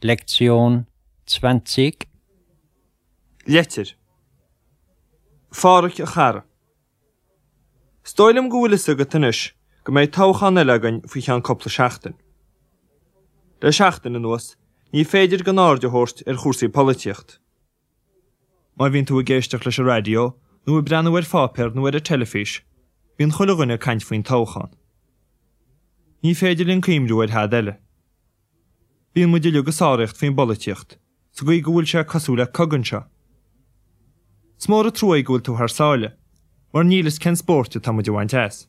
Lektion 20. Leitir. A Phádhraic a chara. Is dóigh liom go bhfuil fhios agat anois go mbeidh toghchán eile againn faoi cheann cúpla seachtain. Le seachtain anuas, ní féidir gan aird a thabhairt ar chúrsaí polaitíocht. Má bhíonn tú ag éisteacht leis an raidió nó ag breathnú ar pháipéar nó ar an teilifís, bíonn chuile dhuine ag caint faoin toghchán. Ní féidir linn cuimhniú ar thada eile. Bíonn muid uilig ag sáraíocht faoin bpolaitíocht, sa gcaoi go bhfuil sé cosúil le cogadh anseo. Is mór an trua é go bhfuil tú thar sáile, mar níl fhios cén spóirt atá muid a bhaint as.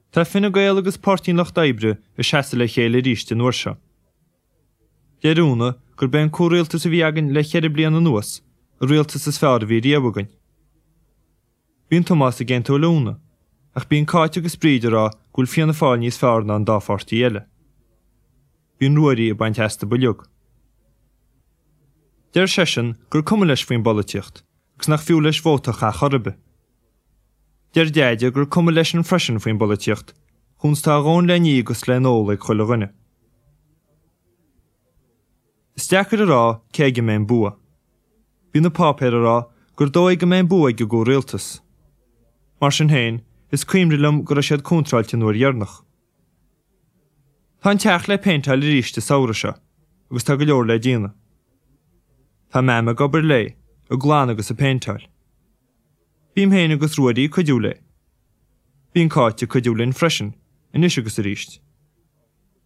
Tá Fine Gael agus Páirtí an Lucht Oibre ag seasamh le chéile arís an uair seo. Deir Úna gurb é an comhrialtas a bhí againn le cheithre bliana anuas an rialtas is fearr a bhí riamh againn. Bíonn Tomás ag aontú le Úna, ach bíonn Cáit agus Bríd ag rá go bhfuil Fianna Fáil níos fearr ná an dá pháirtí eile. Bíonn Ruairí ag baint astu uilig. Deir seisean gur cuma leis faoin bpolaitíocht agus nach fiú leis vóta a chaith chor ar bith. Deir Deaide gur cuma leisean freisin faoin bpolaitíocht, chúns tá a dhóthain le ní agus le n-ól ag chuile dhuine. Is deacair a rá cé aige a mbeidh an bua. Bhí na páipéir ag rá gur dóigh go mbeidh an bua ag an gcomhrialtas. Mar sin féin, is cuimhin liom go raibh siad contráilte an uair dheireanach. Tá an teach le péinteáil arís an samhradh seo agus tá go leor le déanamh. Tá Mam ag obair léi, ag glanadh agus ag péinteáil. Bím féin agus Ruairí ag cuidiú léi. Bíonn Cáit ag cuidiú linn freisin, anois agus arís.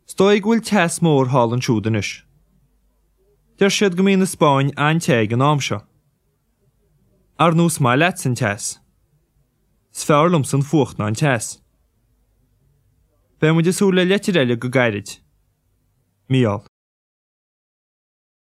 Is dóigh go bhfuil teas mór thall ansiúd anois. Deir siad go mbíonn an Spáinn an-te ag an am seo. Ar ndóigh is maith leatsa an teas. Is fearr liomsa an fuacht ná an teas. Beidh muid ag súil le leitir eile go gairid. Mícheál.